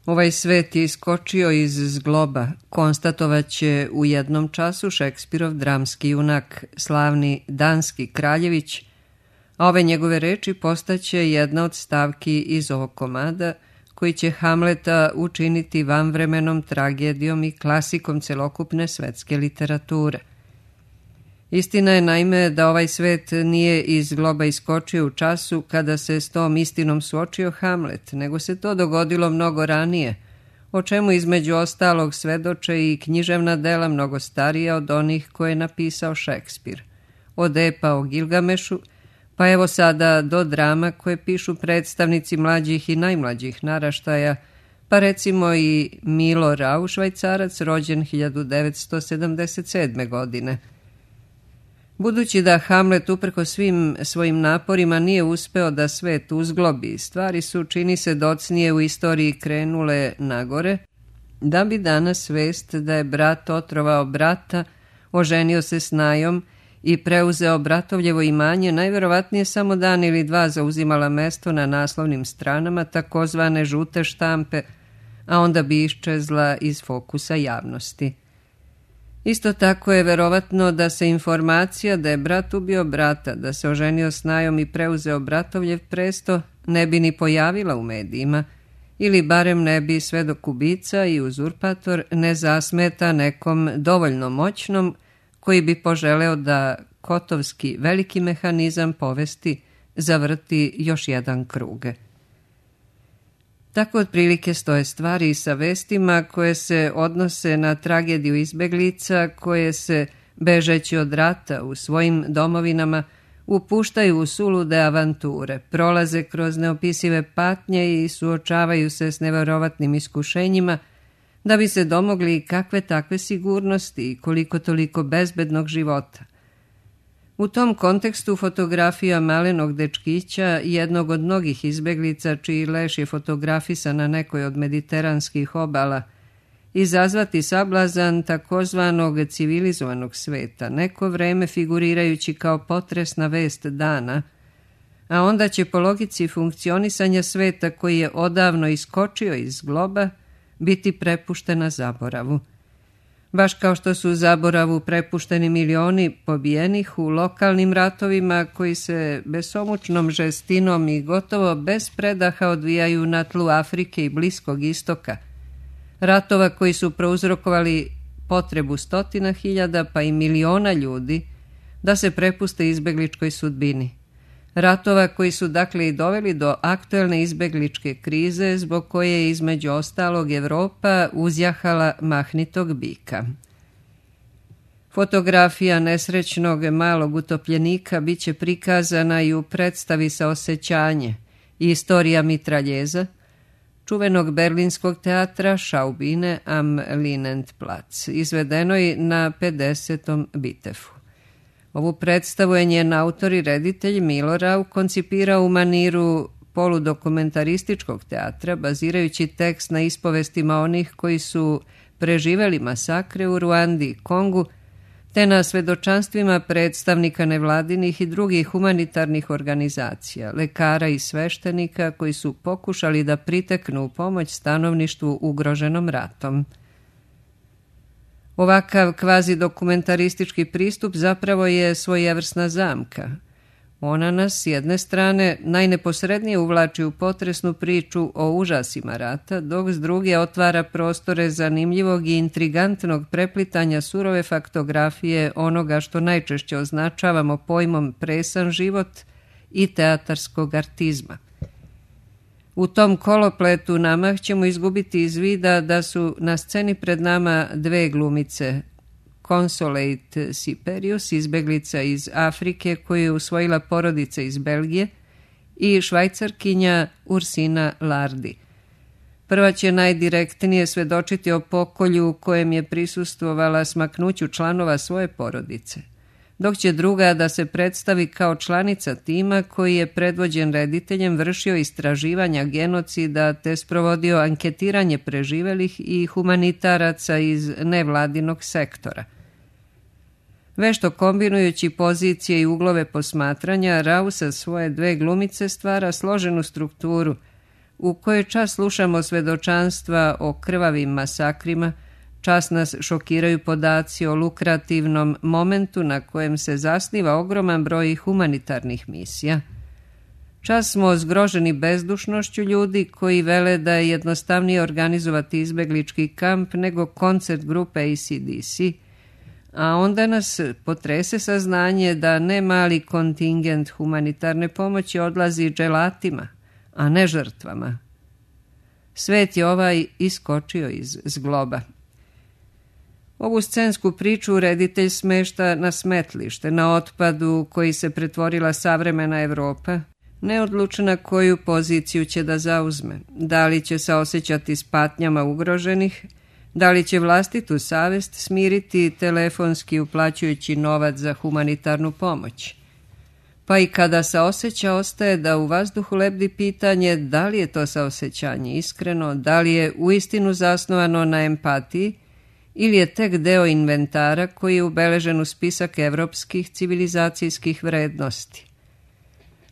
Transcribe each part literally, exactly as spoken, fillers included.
Ovaj svet je iskočio iz zgloba, konstatovaće u jednom času Šekspirov dramski junak, slavni danski kraljević, a ove njegove reči postaće jedna od stavki iz ovog komada, koji će Hamleta učiniti vanvremenom tragedijom i klasikom celokupne svetske literature. Istina je naime da ovaj svet nije iz globa iskočio u času kada se s tom istinom suočio Hamlet, nego se to dogodilo mnogo ranije, o čemu između ostalog svedoče i književna dela mnogo starija od onih koje je napisao Šekspir. Od epa o Gilgamešu, pa evo sada do drama koje pišu predstavnici mlađih i najmlađih naraštaja, pa recimo i Milo Rau, Švajcarac, rođen hiljadu devetsto sedamdeset sedme. godine. Budući da Hamlet uprko svim svojim naporima nije uspeo da svet uzglobi, stvari su, čini se, docnije u istoriji krenule nagore, da bi danas vest da je brat otrovao brata, oženio se s Najom i preuzeo bratovljevo imanje, najverovatnije samo dan ili dva zauzimala mesto na naslovnim stranama takozvane žute štampe, a onda bi iščezla iz fokusa javnosti. Isto tako je verovatno da se informacija da je brat ubio brata, da se oženio s Najom i preuzeo bratovljev presto, ne bi ni pojavila u medijima, ili barem ne bi svedok ubica i uzurpator ne zasmeta nekom dovoljno moćnom koji bi poželeo da kotovski veliki mehanizam povesti zavrti još jedan kruge. Tako otprilike stoje stvari sa vestima koje se odnose na tragediju izbeglica koje se, bežeći od rata u svojim domovinama, upuštaju u sulude avanture, prolaze kroz neopisive patnje i suočavaju se s neverovatnim iskušenjima da bi se domogli kakve takve sigurnosti i koliko toliko bezbednog života. U tom kontekstu fotografija malenog dečkića, jednog od mnogih izbeglica čiji leš je fotografisan na nekoj od mediteranskih obala, izazvati sablazan takozvanog civilizovanog sveta, neko vreme figurirajući kao potresna vest dana, a onda će po logici funkcionisanja sveta koji je odavno iskočio iz globa biti prepuštena zaboravu. Baš kao što su zaboravu prepušteni milioni pobijenih u lokalnim ratovima koji se besomučnom žestinom i gotovo bez predaha odvijaju na tlu Afrike i Bliskog istoka, ratova koji su prouzrokovali potrebu stotina hiljada pa i miliona ljudi da se prepuste izbegličkoj sudbini. Ratova koji su dakle i doveli do aktuelne izbegličke krize zbog koje je između ostalog Evropa uzjahala mahnitog bika. Fotografija nesrećnog malog utopljenika bit će prikazana i u predstavi Saosećanje i istorija mitraljeza, čuvenog berlinskog teatra Schaubine am Linienplatz, izvedenoj na pedesetom Bitefu. Ovu predstavu je njen autor i reditelj Milo Rau koncipirao u maniru poludokumentarističkog teatra, bazirajući tekst na ispovestima onih koji su preživeli masakre u Ruandi i Kongu, te na svedočanstvima predstavnika nevladinih i drugih humanitarnih organizacija, lekara i sveštenika koji su pokušali da priteknu u pomoć stanovništvu ugroženom ratom. Ovakav kvazi dokumentaristički pristup zapravo je svojevrsna zamka. Ona nas s jedne strane najneposrednije uvlači u potresnu priču o užasima rata, dok s druge otvara prostore zanimljivog i intrigantnog preplitanja surove faktografije onoga što najčešće označavamo pojmom presan život i teatarskog artizma. U tom kolopletu namah ćemo izgubiti iz vida da su na sceni pred nama dve glumice, Consolate Siperius, izbeglica iz Afrike koju je usvojila porodica iz Belgije, i švajcarkinja Ursina Lardi. Prva će najdirektnije svedočiti o pokolju u kojem je prisustvovala smaknuću članova svoje porodice, dok će druga da se predstavi kao članica tima koji je predvođen rediteljem vršio istraživanja genocida te sprovodio anketiranje preživelih i humanitaraca iz nevladinog sektora. Vešto kombinujući pozicije i uglove posmatranja, Rau sa svoje dve glumice stvara složenu strukturu u kojoj čas slušamo svedočanstva o krvavim masakrima, čas nas šokiraju podaci o lukrativnom momentu na kojem se zasniva ogroman broj humanitarnih misija. Čas smo zgroženi bezdušnošću ljudi koji vele da je jednostavnije organizovati izbeglički kamp nego koncert grupe A C D C, a onda nas potrese saznanje da ne mali kontingent humanitarne pomoći odlazi dželatima, a ne žrtvama. Svet je ovaj iskočio iz zgloba. Ovu scensku priču reditelj smešta na smetlište, na otpadu koji se pretvorila savremena Evropa, neodlučna koju poziciju će da zauzme, da li će se osjećati s patnjama ugroženih, da li će vlastitu savest smiriti telefonski uplaćujući novac za humanitarnu pomoć. Pa i kada saoseća ostaje da u vazduhu lebdi pitanje da li je to saosećanje iskreno, da li je uistinu zasnovano na empatiji ili je tek deo inventara koji je ubeležen u spisak evropskih civilizacijskih vrednosti.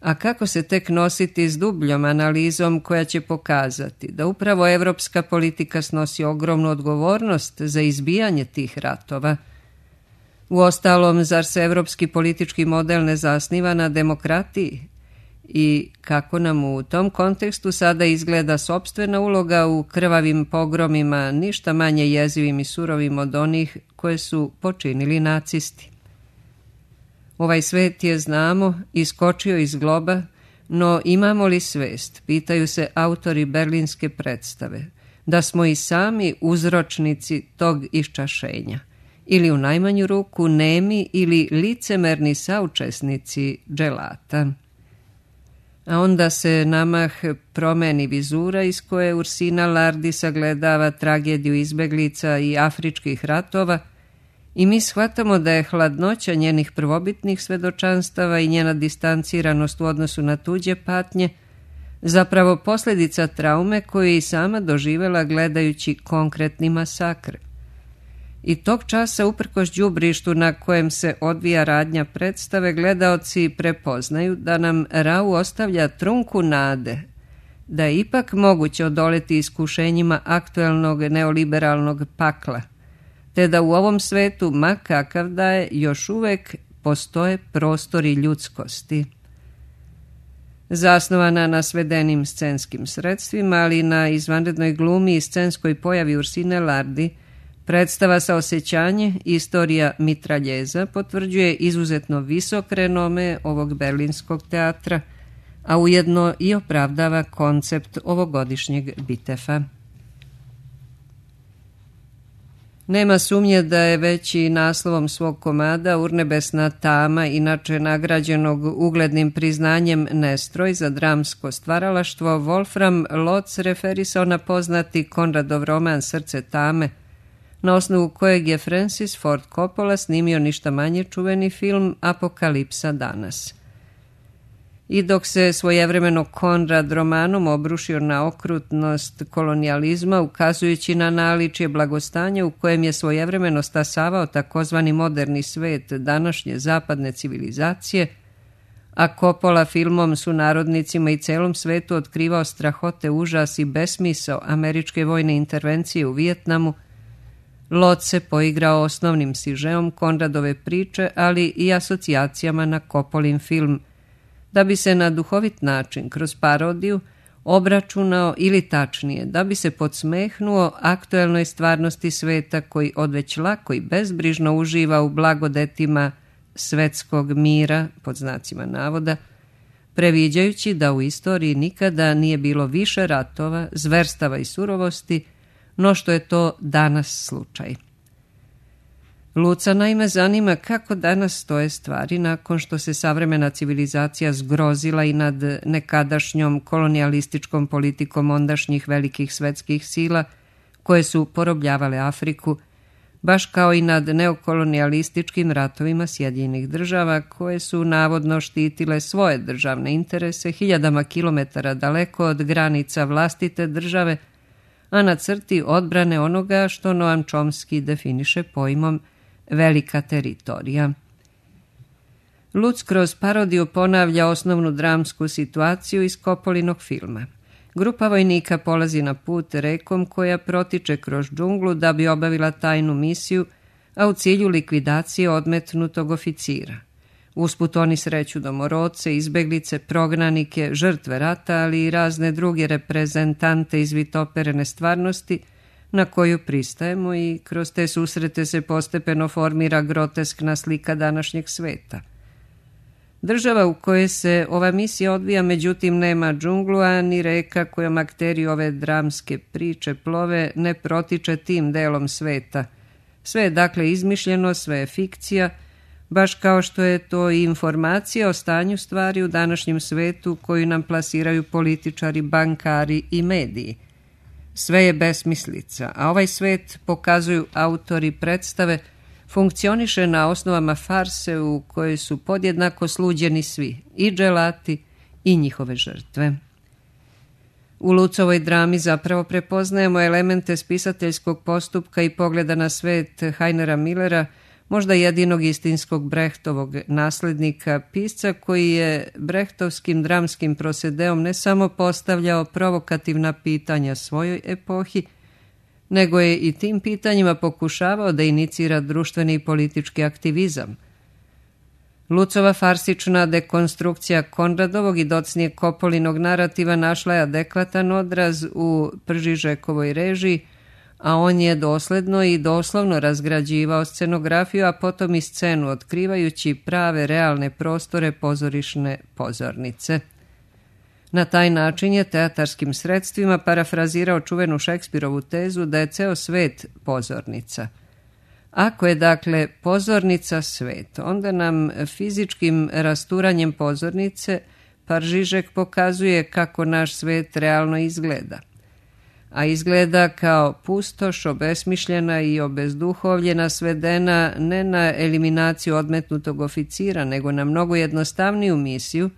A kako se tek nositi s dubljom analizom koja će pokazati da upravo evropska politika snosi ogromnu odgovornost za izbijanje tih ratova? Uostalom, zar se evropski politički model ne zasniva na demokratiji? I kako nam u tom kontekstu sada izgleda sopstvena uloga u krvavim pogromima, ništa manje jezivim i surovim od onih koje su počinili nacisti? Ovaj svet je, znamo, iskočio iz globa, no imamo li svest, pitaju se autori berlinske predstave, da smo i sami uzročnici tog iščašenja, ili u najmanju ruku nemi ili licemerni saučesnici dželata. A onda se namah promeni vizura iz koje Ursina Lardi sagledava tragediju izbeglica i afričkih ratova i mi shvatamo da je hladnoća njenih prvobitnih svedočanstava i njena distanciranost u odnosu na tuđe patnje zapravo posljedica traume koju je i sama doživjela gledajući konkretni masakr. I tog časa, uprkos đubrištu na kojem se odvija radnja predstave, gledaoci prepoznaju da nam Rau ostavlja trunku nade, da je ipak moguće odoleti iskušenjima aktuelnog neoliberalnog pakla, te da u ovom svetu, ma kakav da je, još uvek postoje prostori ljudskosti. Zasnovana na svedenim scenskim sredstvima, ali na izvanrednoj glumi i scenskoj pojavi Ursine Lardi, predstava Saosećanje, istorija mitraljeza, potvrđuje izuzetno visok renome ovog berlinskog teatra, a ujedno i opravdava koncept ovogodišnjeg Bitefa. Nema sumnje da je već i naslovom svog komada Urnebesna tama, inače nagrađenog uglednim priznanjem Nestroj za dramsko stvaralaštvo, Wolfram Lotz referisao na poznati Konradov roman Srce tame, na osnovu kojeg je Francis Ford Coppola snimio ništa manje čuveni film Apokalipsa danas. I dok se svojevremeno Konrad romanom obrušio na okrutnost kolonijalizma, ukazujući na naličje blagostanja u kojem je svojevremeno stasavao takozvani moderni svet današnje zapadne civilizacije, a Coppola filmom sunarodnicima i celom svetu otkrivao strahote, užas i besmisao američke vojne intervencije u Vijetnamu, Lot se poigrao osnovnim sižeom Konradove priče, ali i asocijacijama na Coppolin film, da bi se na duhovit način, kroz parodiju, obračunao ili tačnije, da bi se podsmehnuo aktuelnoj stvarnosti sveta koji odveć lako i bezbrižno uživa u blagodetima svetskog mira, pod znacima navoda, previđajući da u istoriji nikada nije bilo više ratova, zverstava i surovosti, no što je to danas slučaj. Luca naime zanima kako danas stoje stvari nakon što se savremena civilizacija zgrozila i nad nekadašnjom kolonijalističkom politikom ondašnjih velikih svetskih sila koje su porobljavale Afriku, baš kao i nad neokolonijalističkim ratovima Sjedinjenih država koje su navodno štitile svoje državne interese hiljadama kilometara daleko od granica vlastite države, a na crti odbrane onoga što Noam Chomsky definiše pojmom velika teritorija. Lutz kroz parodiju ponavlja osnovnu dramsku situaciju iz Coppolinog filma. grupa vojnika polazi na put rekom koja protiče kroz džunglu da bi obavila tajnu misiju, a u cilju likvidacije odmetnutog oficira. Usput oni sreću domorodce, izbeglice, prognanike, žrtve rata, ali i razne druge reprezentante iz vitoperene stvarnosti na koju pristajemo i kroz te susrete se postepeno formira groteskna slika današnjeg sveta. Država u kojoj se ova misija odvija, međutim, nema džunglu, a ni reka kojom akteri ove dramske priče plove ne protiče tim delom sveta. Sve je dakle izmišljeno, sve je fikcija, baš kao što je to i informacija o stanju stvari u današnjem svetu koju nam plasiraju političari, bankari i mediji. Sve je besmislica, a ovaj svet, pokazuju autori predstave, funkcioniše na osnovama farse u kojoj su podjednako sluđeni svi, i dželati i njihove žrtve. U Lucovoj drami zapravo prepoznajemo elemente spisateljskog postupka i pogleda na svet Heinera Millera, možda jedinog istinskog Brechtovog naslednika, pisca koji je brechtovskim dramskim prosedeom ne samo postavljao provokativna pitanja svojoj epohi, nego je i tim pitanjima pokušavao da inicira društveni i politički aktivizam. Lucova farsična dekonstrukcija Konradovog i docnije Kopolinog narativa našla je adekvatan odraz u Pržižekovoj režiji, a on je dosledno i doslovno razgrađivao scenografiju, a potom i scenu, otkrivajući prave realne prostore pozorišne pozornice. Na taj način je teatarskim sredstvima parafrazirao čuvenu Šekspirovu tezu da je ceo svet pozornica. Ako je dakle pozornica svet, onda nam fizičkim rasturanjem pozornice Paržižek pokazuje kako naš svet realno izgleda. A izgleda kao pustoš, obesmišljena i obezduhovljena, svedena ne na eliminaciju odmetnutog oficira, nego na mnogo jednostavniju misiju,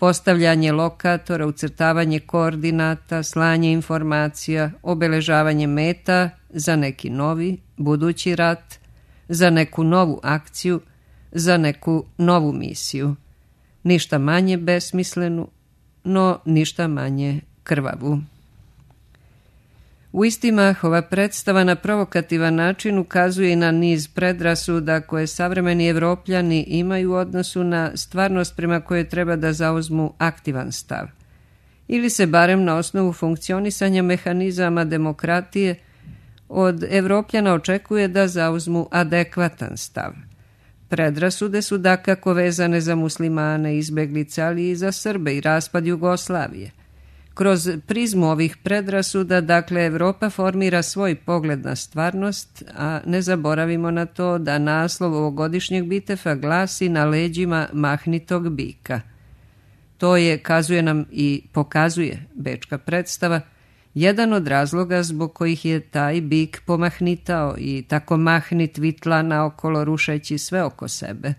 postavljanje lokatora, ucrtavanje koordinata, slanje informacija, obeležavanje meta za neki novi, budući rat, za neku novu akciju, za neku novu misiju. Ništa manje besmislenu, no ništa manje krvavu. U istimah, ova predstava na provokativan način ukazuje i na niz predrasuda koje savremeni Evropljani imaju u odnosu na stvarnost prema kojoj treba da zauzmu aktivan stav. Ili se barem na osnovu funkcionisanja mehanizama demokratije od Evropljana očekuje da zauzmu adekvatan stav. Predrasude su dakako vezane za muslimane, izbeglice, ali i za Srbe i raspad Jugoslavije. Kroz prizmu ovih predrasuda, dakle, Evropa formira svoj pogled na stvarnost, a ne zaboravimo na to da naslov ovogodišnjeg Bitefa glasi Na leđima mahnitog bika. To je, kazuje nam i pokazuje bečka predstava, jedan od razloga zbog kojih je taj bik pomahnitao i tako mahnit vitla naokolo rušeći sve oko sebe,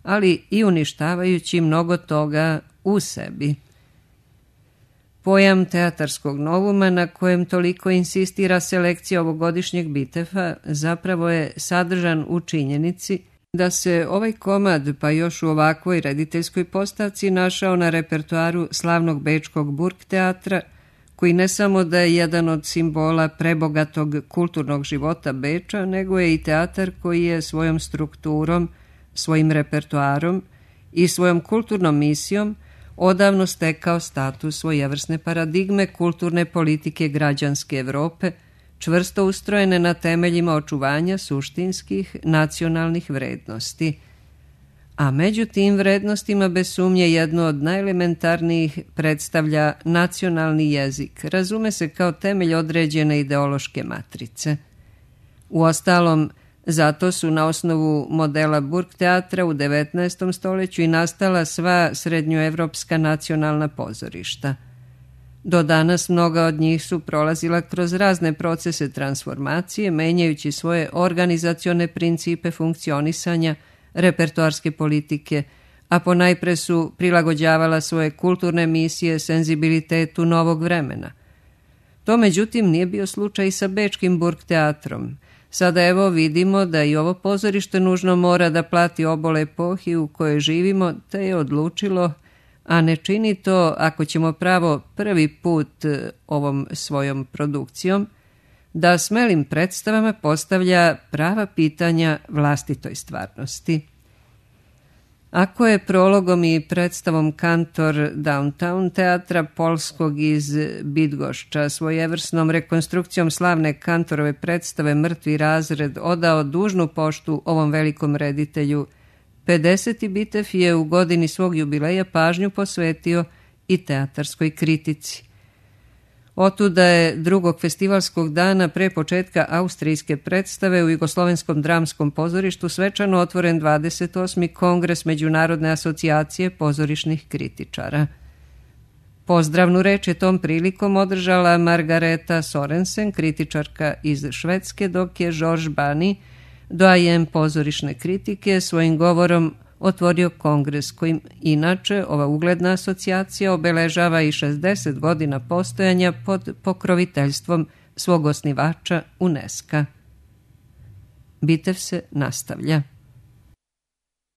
ali i uništavajući mnogo toga u sebi. Pojam teatarskog novuma na kojem toliko insistira selekcija ovogodišnjeg Bitefa zapravo je sadržan u činjenici da se ovaj komad, pa još u ovakvoj rediteljskoj postavci, našao na repertoaru slavnog bečkog Burgteatra, koji ne samo da je jedan od simbola prebogatog kulturnog života Beča, nego je i teatar koji je svojom strukturom, svojim repertoarom i svojom kulturnom misijom odavno stekao status svojevrsne paradigme kulturne politike građanske Evrope, čvrsto ustrojene na temeljima očuvanja suštinskih nacionalnih vrednosti. A među tim vrednostima bez sumnje jedno od najelementarnijih predstavlja nacionalni jezik, razume se kao temelj određene ideološke matrice. Uostalom, zato su na osnovu modela Burgteatra u devetnaestom stoljeću i nastala sva srednjoevropska nacionalna pozorišta. Do danas mnoga od njih su prolazila kroz razne procese transformacije, menjajući svoje organizacione principe funkcionisanja, repertoarske politike, a ponajpre su prilagođavala svoje kulturne misije senzibilitetu novog vremena. To međutim nije bio slučaj i sa bečkim Burgteatrom. Sada evo vidimo da i ovo pozorište nužno mora da plati obol epohi u kojoj živimo, te je odlučilo, a ne čini to, ako ćemo pravo prvi put ovom svojom produkcijom, da smelim predstavama postavlja prava pitanja vlastitoj stvarnosti. Ako je prologom i predstavom kantor Downtown teatra polskog iz Bydgoszcza svojevrsnom rekonstrukcijom slavne kantorove predstave Mrtvi razred odao dužnu poštu ovom velikom reditelju, pedeseti Bitev je u godini svog jubileja pažnju posvetio i teatarskoj kritici. Otuda je drugog festivalskog dana pre početka austrijske predstave u Jugoslovenskom dramskom pozorištu svečano otvoren dvadeset osmi Kongres Međunarodne asocijacije pozorišnih kritičara. Pozdravnu reč je tom prilikom održala Margareta Sorensen, kritičarka iz Švedske, dok je George Bani, doajen pozorišne kritike, svojim govorom otvorio kongres kojim inače ova ugledna asocijacija obeležava i šezdeset godina postojanja pod pokroviteljstvom svog osnivača UNESCO. Bitev se nastavlja.